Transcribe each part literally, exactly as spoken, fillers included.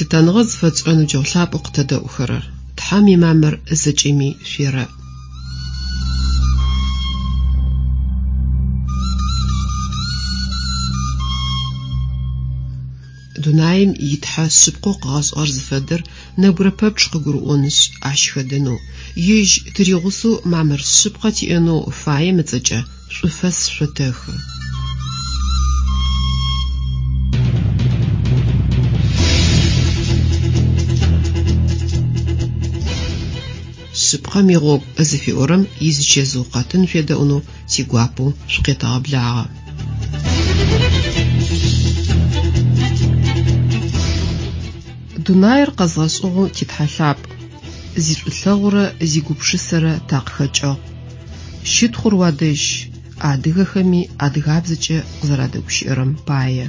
Лъытэныгъэ зыфэтшӏырэ ныбджэгъу лъапӏэу къытэдэӏухэрэр, Тхьэм имамыр зэкӏэми шъуерэӏ. Дунаим и Тхьэ шъыпкъэу къыгъэшӏыгъэр зыфэдэр нэбгырэ пэпчъ къыгурыӏонышъ, ащ хэдэнэу, ежь тыригъусэу мамыр шъыпкъэ тиӏэнэу фаем ыцӏэкӏэ шӏуфэс шъотэхы. Шъыпкъэм игъогу зыфиӏорэм изычэзыу къэтын шъуедэӏунэу тигуапэу шъукъетэгъэблагъэ. Дунаир къэзгъэшӏыгъэу ти Тхьэ лъапӏ, зишӏулъэгъурэ зигупшысэрэ такъыхэкӏыгъ. Щытхъур уадэжь, адыгэхэми адыгабзэкӏэ къызэрадэгущыӏэрэм пае.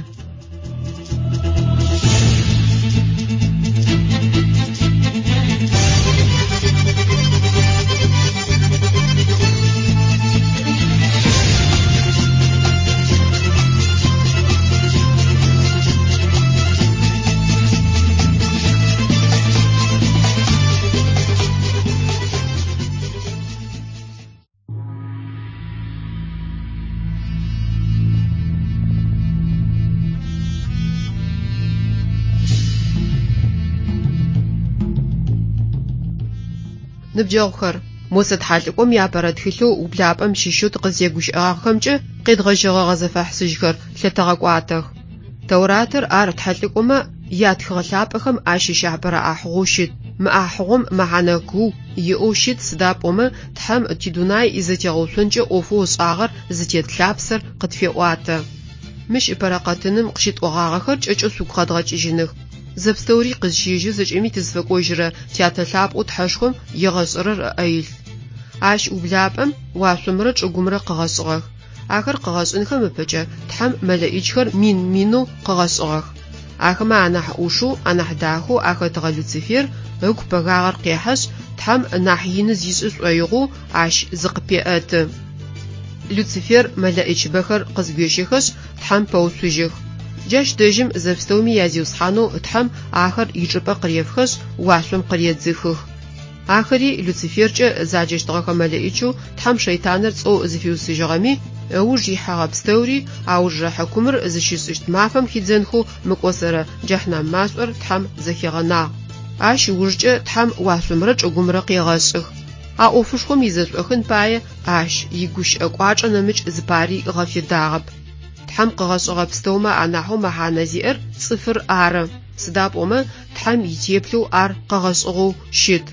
Ныбджэгъухэр, Мосэ тхьэлӏыкӏом иапэрэ тхылъэу ублапӏэм щыщэу тыкъызтегущыӏагъэхэмкӏэ къедгъэжьэгъэгъэ зэфэхьысыжьхэр лъытэгъэкӏуатэх. Тэуратыр ар тхьэлӏыкӏомэ ятхыгъэ лъапӏэхэм ащыщ апэрэ ӏахьыгъоу щыт. Мы ӏахьыгъом мэхьанэ куу иӏэу щыт, сыда пӏомэ Тхьэм тидунай изэтегъэуцонкӏэ ӏофэу ышӏагъэр зытет лъапсэр къытфеӏуатэ. Мыщ ыпэрэ къэтыным къыщытӏогъагъэхэр кӏэкӏэу шъугу къэдгъэкӏыжьыных. Зэпстэури къызщежьэу зэкӏэми тызфэкӏожьырэ тятэ лъапӏэу Тхьэшхом егъэшӏэрэр ыӏэ илъ. Ащ ублапӏэм уашъомрэ чӏыгумрэ къыгъэшӏыгъэх. Ахэр къыгъэшӏынхэм ыпэкӏэ Тхьэм мэлэӏичхэр мин-минэу къыгъэшӏыгъэх. Ахэмэ анахь ӏушэу, анахь дахэу ахэтыгъэ Люцифер ыгу пэгагъэр къехьэшъ, Тхьэм нахь ины зишӏы шӏоигъоу ащ зыкъыпеӏэты. Люцифер мэлэӏичбэхэр къызгуещэхэшъ, Тхьэм пэуцужьых. Джащ дэжьым зэпстэуми язиусхьанэу Тхьэм ахэр ичӏыпӏэ къырефхэшъ, уашъом къыредзыхых. Ахэри Люциферкӏэ заджэщтыгъэхэ мэлэӏичэу Тхьэм шэйтаныр цӏэу зыфиусыжьыгъэми, ыуж ихьэгъэ пстэури аужрэ хьыкумыр зыщишӏыщт мафэм хидзэнхэу мыкӏосэрэ джэхьнам машӏор Тхьэм зэхигъэнагъ. Ащ ыужкӏэ Тхьэм уашъомрэ чӏыгумрэ къегъэшӏых. А ӏофышхом изэшӏохын пае ащ игущыӏэ кӏуачӏэ нэмыкӏ зыпари ыгъэфедагъэп. Тхьэм къыгъэшӏыгъэ пстэумэ анахьэу мэхьанэ зиӏэр цӏыфыр ары. Сыда пӏомэ Тхьэм итеплъэу ар къыгъэшӏыгъэу щыт.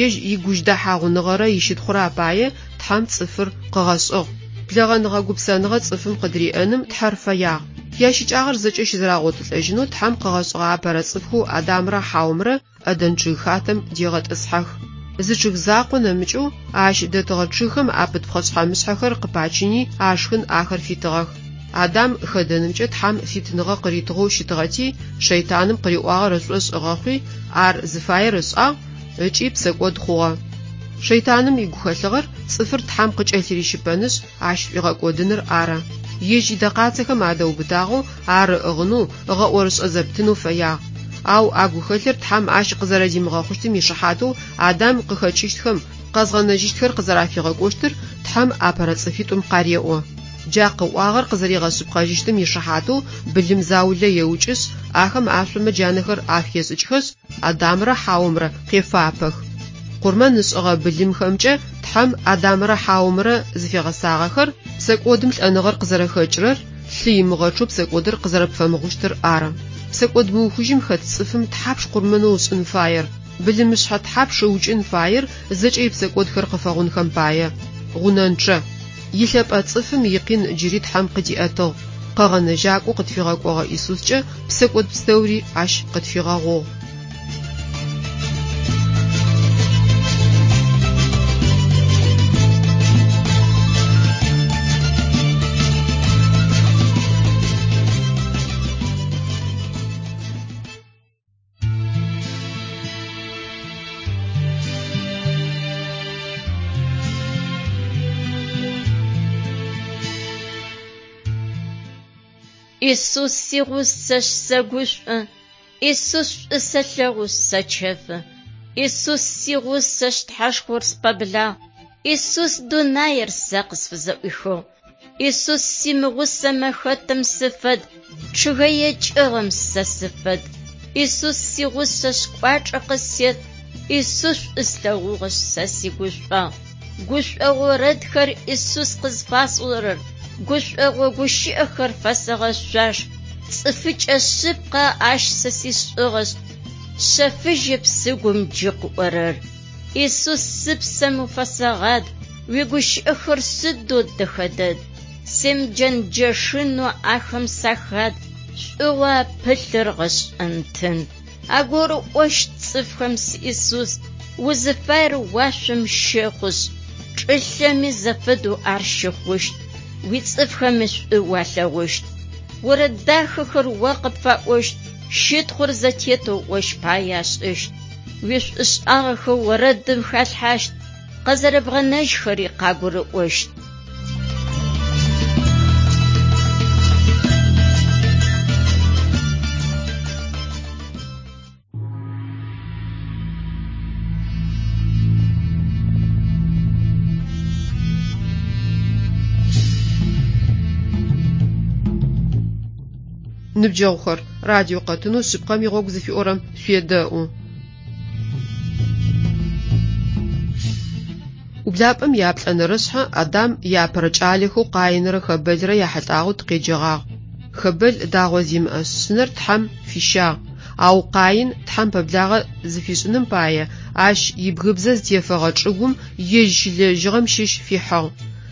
Ежь игужьдэхьагъуныгъэрэ ищытхъурэ апае Тхьэм цӏыфыр къыгъэшӏыгъ. Блэгъэныгъэ гупсэныгъэ цӏыфым къыдыриӏэным Тхьэр фэягъ. Ящыкӏагъэр зэкӏэ щызэрагъотылӏэжьынэу Тхьэм къыгъэшӏыгъэ апэрэ цӏыфхэу Адамрэ Хьаумрэ Ӏэдэн чъыг хатэм дегъэтӏысхьэх. Зы чъыг закъо нэмыкӏэу ащ дэтыгъэ чъыгхэм апыт пхъэшъхьэ-мышъхьэхэр къыпачыни ашхын ахэр фитыгъэх. Адам хэдэнымкӏэ Тхьэм фитыныгъэ къыритыгъэу щытыгъэти, шэйтаным къыриӏуагъэр ышӏошъ ыгъэхъуи, ар зыфаер ышӏагъ ыкӏи псэкӏод хъугъэ. Шэйтаным игухэлъыгъэр цӏыфыр Тхьэм къыкӏэлъырищыпэнышъ, ащ шӏуигъэкӏодыныр ары. Ежь идэкъацэхэм адэубытагъэу ар ыӏыгъынэу, ыгъэӏорышӏэ зэптынэу фэягъ. Ау а гухэлъыр Тхьэм ащ къызэрэдимыгъэхъущтым ишыхьатэу Адам къыхэкӏыщтхэм, къэзгъэнэжьыщтхэр къызэрафигъэкӏощтыр Тхьэм апэрэ цӏыфитӏум къареӏо. Джа къыӏуагъэр къызэригъэшъыпкъэжьыщтым ишыхьатэу былым заулэ еукӏышъ, ахэм ашъомэ джанэхэр ахешӏыкӏхэшъ, Адамрэ Хьаумрэ къефапэх. Къурмэн ышӏыгъэ былымхэмкӏэ Тхьэм Адамрэ Хьаумрэ зыфигъэсагъэхэр псэкӏодым лӏэныгъэр къызэрэхэкӏырэр, лъы имыгъэчъэу псэкӏодыр къызэрэпфэмыгъущтыр ары. Псэкӏод мыухыжьым хэт цӏыфым тхьапш къурмэнэу ышӏын фаер, былымышъхьэ тхьапш ыукӏын фаер зэкӏэ ипсэкӏодхэр къыфэгъунхэм пае. Гъунэнчъэ. Илъэпӏэ цӏыфым икъин джыри Тхьэм къыдиӏэтыгъ. Къэгъэнэжьакӏоу къытфигъэкӏогъэ Исускӏэ псэкӏод пстэури ащ къытфигъэгъугъ. Исус сигъусэшъ сэгушӏо, Исус шӏу сэлъэгъушъ сэчэфы. Исус сигъусэшъ Тхьэшхор спэблагъ. Исус дунаир сэ къысфызэӏуихыгъ. Исус симыгъусэмэ хэтым сыфэд, чъыгэе кӏыгъэм сэ сыфэд. Исус сигъусэшъ кӏуачӏэ къысет. Исус шӏу слъэгъугъэшъ сэ сигушӏуагъ. Гушӏогъо орэдхэр Исус къызфасӏорэр, гушӏогъо гущыӏэхэр фэсэгъэшъуаш. Цӏыфыкӏэ шъыпкъэ ащ сэ сишӏыгъэшъ, шъэфыжьэп сыгум джы къыӏорэр. Исус сыпсэм уфэсэгъад, уигущыӏэхэр сыдэу дэхэ дэд. Семыджэнджэшынэу ахэм сахад, шӏугъэу апылъыр гъэшӏэнтын. Агурыӏощт цӏыфхэм си Исус, узыфаер уашъом щэхъушъ, чӏылъэми зэфэдэу ар щыхъущт, уицӏыфхэми шӏу уалъэгъущт. Орэд дахэхэр о къыпфаӏощт, щытхъур зэтетэу ощ пае ашӏыщт. Уишӏушӏагъэхэу орэдым халъхьащт, къызэрэбгъэнэжьхэри къагурыӏощт. Ныбджэгъухэр, радио къэтынэу шъыпкъэм игъогу зыфиӏорэм шъуедэӏу. Ублапӏэм яплӏэнэрэ шъхьэ Адам иапэрэ кӏалэхэу Къаинрэ Хэбэлрэ яхьылӏагъэу тыкъеджэгъагъ. Хэбэл дагъо зимыӏэ шъынэр Тхьэм фищагъ, ау Къаин Тхьэм пэблагъэ зыфишӏыным пае ащ ибгыбзэ зытефэгъэ чӏыгум ежь щилэжьыгъэм щыщ фихьыгъ.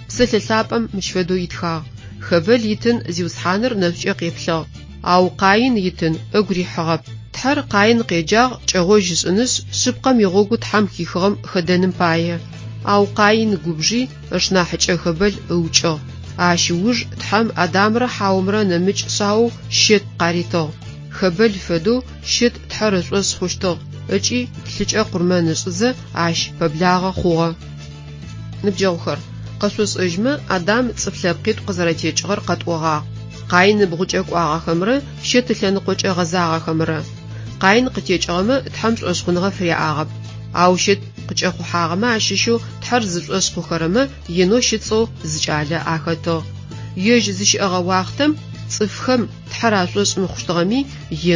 Псэлъэ лъапӏэм мыщ фэдэу итхагъ: Хэбэл итын Зиусхьаныр нэшӏукӏэ къеплъыгъ, ау Къаин итын ыгу рихьыгъэп. Тхьэр Къаин къеджагъ кӏэгъожь ышӏынышъ, шъыпкъэм игъогу Тхьэм хихыгъэм хэдэным пае. Ау Къаин губжи ышнахьыкӏэ Хэбэл ыукӏыгъ. Ащ ыуж Тхьэм Адамрэ Хьаомрэ нэмыкӏ шъаоу Щет къаритыгъ. Хэбэл фэдэу Щет Тхьэр ышӏошъ хъущтыгъ ыкӏи лъыкӏэ къурмэн ышӏызэ ащ пэблагъэ хъугъэ. Ныбджэгъухэр, къэшъошӏэжьмэ Адам цӏыф лъэпкъитӏу къызэрэтекӏыгъэр къэтӏогъагъ. Къаин ыбгъукӏэ кӏуагъэхэмрэ Щет ылъэныкъокӏэ гъэзагъэхэмрэ. Къаин къытекӏыгъэмэ Тхьэм шӏошъхъуныгъэ фыряӏагъэп. Ау Щет къыкӏэхъухьагъэмэ ащыщэу Тхьэр зышӏошъ хъухэрэмэ Енош ыцӏэу зы кӏалэ ахэтыгъ. Ежь зыщыӏэгъэ уахътэм цӏыфхэм Тхьэр ашӏошъ мыхъущтыгъэми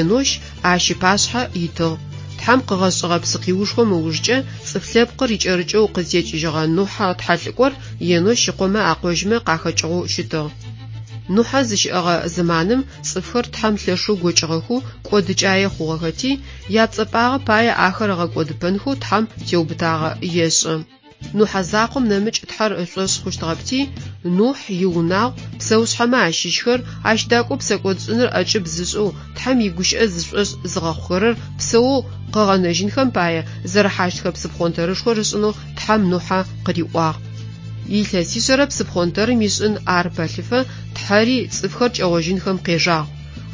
Енош ащ ыпашъхьэ итыгъ. Тхьэм къыгъэшӏыгъэ псыкъиушхом ыужкӏэ цӏыф лъэпкъыр икӏэрыкӏэу къызтекӏыжьыгъэ Нухьэ тхьэлӏыкӏор Енош ыкъомэ акъожьмэ къахэкӏыгъэу щытыгъ. Нухьэ зыщыӏэгъэ зэманым цӏыфхэр Тхьэм лъэшэу гокӏыгъэхэу кӏодыкӏае хъугъэхэти, япцӏэпӏагъэ пае ахэр ыгъэкӏодыпэнхэу Тхьэм теубытагъэ ешӏы. Нухьэ закъом нэмыкӏ Тхьэр ышӏошъ хъущтыгъэпти, Нухь иунагъу, псэушъхьэмэ ащыщхэр, ащ дакӏоу псэкӏодшӏыныр ӏэкӏыб зышӏэу Тхьэм игущыӏэ зышӏошъ зыгъэхъухэрэр псэоу къыгъэнэжьынхэм пае зэрыхьащтхэ псыпхъонтэрышхор ышӏынэу Тхьэм Нухьэ къыриӏуагъ. Илъэсишъэрэ псыпхъонтэрым ишӏын ар пэлъыфэ Тхьэри цӏыфхэр кӏэгъожьынхэм къежагъ.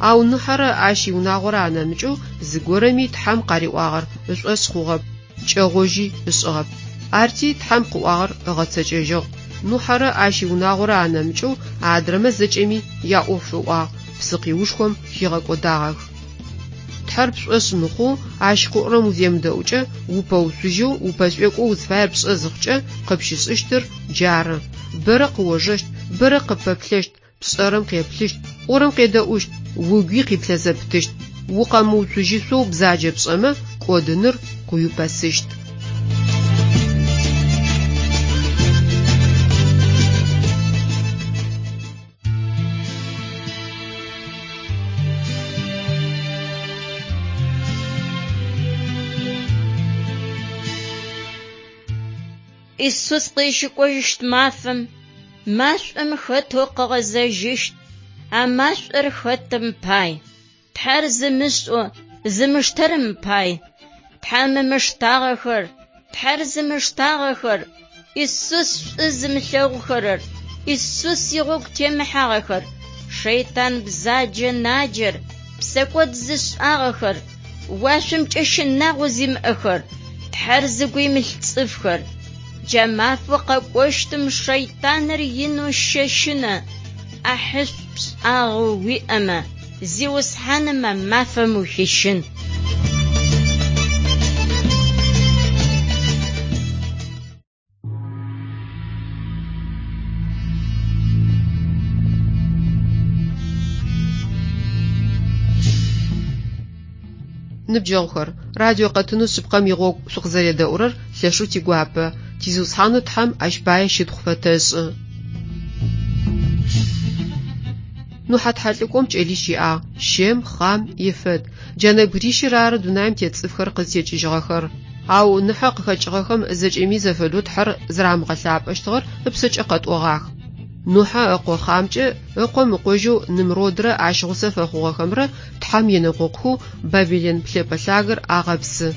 Ау Нухьэрэ ащ иунагъорэ анэмыкӏэу зыгорэми Тхьэм къариӏуагъэр ышӏошъ хъугъэп, кӏэгъожьи ышӏыгъэп. Арти Тхьэм къыӏуагъэр ыгъэцэкӏэжьыгъ. Нухьэрэ ащ иунагъорэ анэмыкӏэу адрэмэ зэкӏэми яӏоф ыӏуагъ, псыкъиушхом хигъэкӏодагъэх. Тхьэр пшӏошъ мыхъоу ащ къыӏорэм уземыдэӏукӏэ, упэуцужьэу, упэшӏуекӏоу узфаер пшӏэ зыхъукӏэ къыпщышӏыщтыр джары. Бэрэ къыожэщт, бэрэ къыппэплъэщт, пшӏэрэм къеплъыщт, пӏорэм къедэӏущт, угуи къиплъэзэпытыщт. Укъэмыуцужьышъоу бзаджэ пшӏэмэ, кӏодыныр къыуипэсыщт. Исус къызщыкӏожьыщт мафэм машӏом хэтэу къыгъэзэжьыщт, а машӏор хэтым пай. Тхьэр зымышӏэу зымыштэрэм пай. Тхьэм ымыштагъэхэр, Тхьэр зымыштагъэхэр, Исус шӏу зымылъэгъухэрэр, Исус игъогу темыхьагъэхэр, шэйтан бзаджэ наджэр, псэкӏод зышӏагъэхэр, уашъомкӏэ щынагъо зимыӏэхэр, Тхьэр зыгу имылъ цӏыфхэр. Джа мафэу къэкӏощтым шэйтаныр инэу щэщынэ, ӏахьышӏу пшӏагъэу уиӏэмэ, Зиусхьаным а мафэм ухищын. Ныбджэгъухэр, радио къэтынэу шъыпкъэм игъогу шъукъызэредэӏурэр лъэшэу тигуапэ. Тизиусхьанэу Тхьэм ащ пае щытхъу фэтэшӏы. Нухьэ тхьэлӏыкӏом кӏэлищ иӏагъ: Щем, Хъам, Ефэт. Джа нэбгырищыр ары дунаим тет цӏыфхэр къызтекӏыжьыгъэхэр. Ау Ныхьэ къыхэкӏыгъэхэм зэкӏэми зэфэдэу Тхьэр зэрамыгъэлъапӏэщтыгъэр ыпшъэкӏэ къэтӏогъах. Нухьэ ыкъо Хъамкӏэ ыкъом ыкъожьэу Нымродрэ ащ гъусэ фэхъугъэхэмрэ Тхьэм енэкъокъухэу Бабилэн плъэпӏэ лъагэр агъэпсы.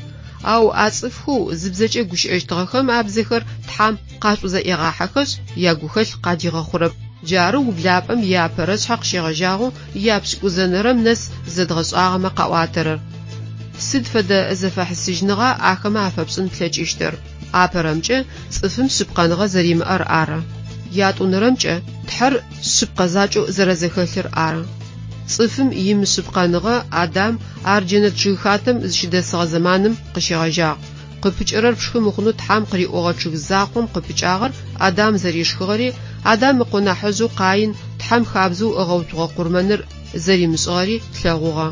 Ау а цӏыфхэу зыбзэкӏэ гущыӏэщтыгъэхэм абзэхэр Тхьэм къашӏузэӏегъахьэхэшъ, ягухэлъ къадигъэхъурэп. Джары ублапӏэм иапэрэ шъхьэ къыщегъэжьагъэу япшӏыкӏузэнэрэм нэс зэдгъэшӏагъэмэ къаӏуатэрэр. Сыд фэдэ зэфэхьысыжьыныгъа ахэмэ афэпшӏын плъэкӏыщтыр? Апэрэмкӏэ цӏыфым шъыпкъэныгъэ зэримыӏэр ары. Ятӏонэрэмкӏэ Тхьэр шъыпкъэ закӏэу зэрэзэхэлъыр ары. Цӏыфым имышъыпкъэныгъэ Адам ар джэнэт чъыгхатэм зыщыдэсыгъэ зэманым къыщегъэжьагъ. Къыпыкӏэрэр пшхы мыхъунэу Тхьэм къыриӏогъэ чъыг закъом къыпыкӏагъэр Адам зэришхыгъэри, Адам ыкъо нахьыжъэу Къаин Тхьэм хабзэу ыгъэуцугъэ къурмэныр зэримышӏыгъэри тлъэгъугъэ.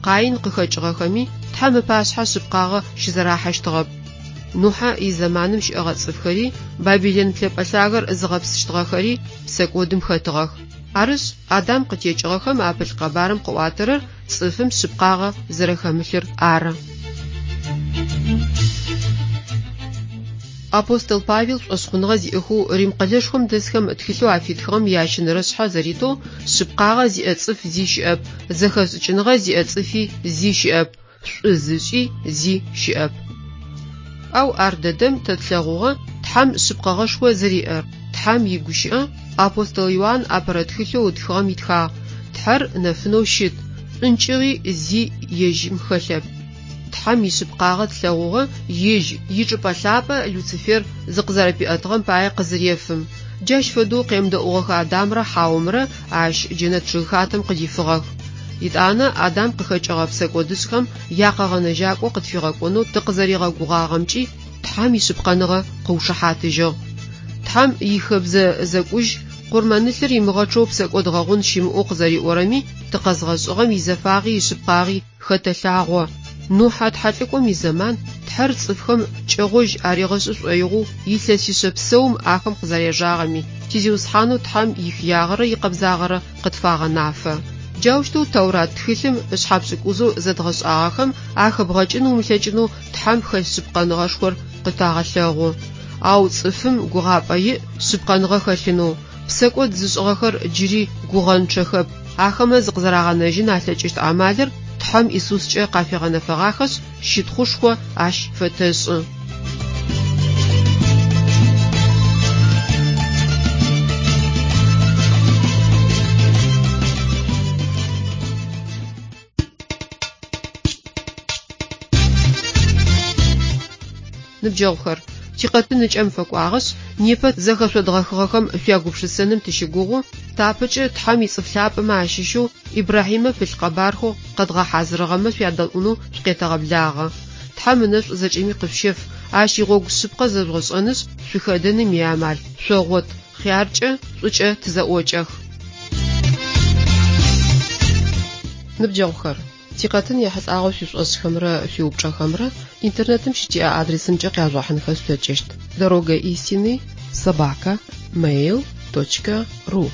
Къаин къыхэкӏыгъэхэми Тхьэм ыпашъхьэ шъыпкъагъэ щызэрахьэщтыгъэп. Нухьэ изэманым щыӏэгъэ цӏыфхэри, Бабилэн плъэпӏэ лъагэр зыгъэпсыщтыгъэхэри псэкӏодым хэтыгъэх. Арышъ, Адам къытекӏыгъэхэм апылъ къэбарым къыӏуатэрэр цӏыфым шъыпкъагъэ зэрэхэмылъыр ары. Апостол Павел шӏошъхъуныгъэ зиӏэхэу Рим къэлэшхом дэсхэм тхылъэу афитхыгъэм ящэнэрэ шъхьэ зэритэу шъыпкъагъэ зиӏэ цӏыф зи щыӏэп, зэхэшӏыкӏыныгъэ зиӏэ цӏыфи зи щыӏэп, шӏу зышӏи зи щыӏэп. Ау ар дэдэм тэ тлъэгъугъэ Тхьэм шъыпкъэгъэшхо зэриӏэр. Тхьэм игущыӏэ апостол Иоанн апэрэ тхылъэу ытхыгъэм итхагъ: Тхьэр нэфынэу щыт, шӏункӏыгъи зи ежьым хэлъэп. Тхьэм ишъыпкъагъэ тлъэгъугъэ ежь ичӏыпӏэ лъапӏэ Люцифер зыкъызэрэпиӏэтыгъэм пае къызырефым. Джащ фэдэу къемыдэӏугъэхэ Адамрэ Хьаомрэ ащ джэнэт чъыгхатэм къыдифыгъэх. Итӏанэ Адам къыхэкӏыгъэ псэкӏодышӏхэм якъэгъэнэжьакӏо къытфигъэкӏонэу тыкъызэригъэгугъагъэмкӏи Тхьэм ишъыпкъэныгъэ къыушыхьатыжьыгъ. Тхьэм ихэбзэ зэкӏужь къурмэнылъыр имыгъэчъэу псэкӏод гъэгъун щымыӏэу къызэриӏорэми тыкъэзгъэшӏыгъэм изэфагъи ишъыпкъагъи хэтэлъагъо. Нухьэ тхьэлӏыкӏом изэман Тхьэр цӏыфхэм кӏэгъожь аригъэшӏы шӏоигъоу илъэсишъэ псэум ахэм къызэрежагъэми, тизиусхьанэу Тхьэм ихыягъэрэ икъэбзагъэрэ къытфагъэнафэ. Джаущтэу Тэурат тхылъым ышъхьэ пшӏыкӏузэу зэдгъэшӏагъэхэм ахэбгъэкӏын умылъэкӏынэу Тхьэм хэлъ шъыпкъэныгъэшхор къытагъэлъэгъу. Ау цӏыфым гугъапӏэ иӏ шъыпкъэныгъэ хэлъынэу. Псэкӏод зышӏыгъэхэр джыри гугъэнчъэхэп. Ахэмэ зыкъызэрагъэнэжьын алъэкӏыщт амалыр Тхьэм Исускӏэ къафигъэнэфэгъахэшъ, щытхъушхо ащ фэтэшӏы. Ныбджэгъухэр, тикъэтын ыкӏэм фэкӏуагъэшъ, непэ зэхэшъодгъэхыгъэхэм шъуягупшысэным тыщыгугъу, тапэкӏэ Тхьэм ицӏыф лъапӏэмэ ащыщэу Ибрахьимэ пылъ къэбархэу къэдгъэхьазырыгъэмэ шъуядэӏунэу шъукъетэгъэблагъэ. Тхьэм ынэшӏу зэкӏэми къышъущеф, ащ игъогу шъыпкъэ зэжъугъэшӏэнышъ, шъухэдэным иамал шъогъот, хъяркӏэ, шӏукӏэ тызэӏокӏэх. Ныбджэгъухэр, тикъэтын ехьылӏагъэу шъуишӏошӏхэмрэ шъуиупчӏэхэмрэ интернетым щытиӏэ адресымкӏэ къяжъугъэхьынхэ шъулъэкӏыщт: дорога истины собака mail точка ру.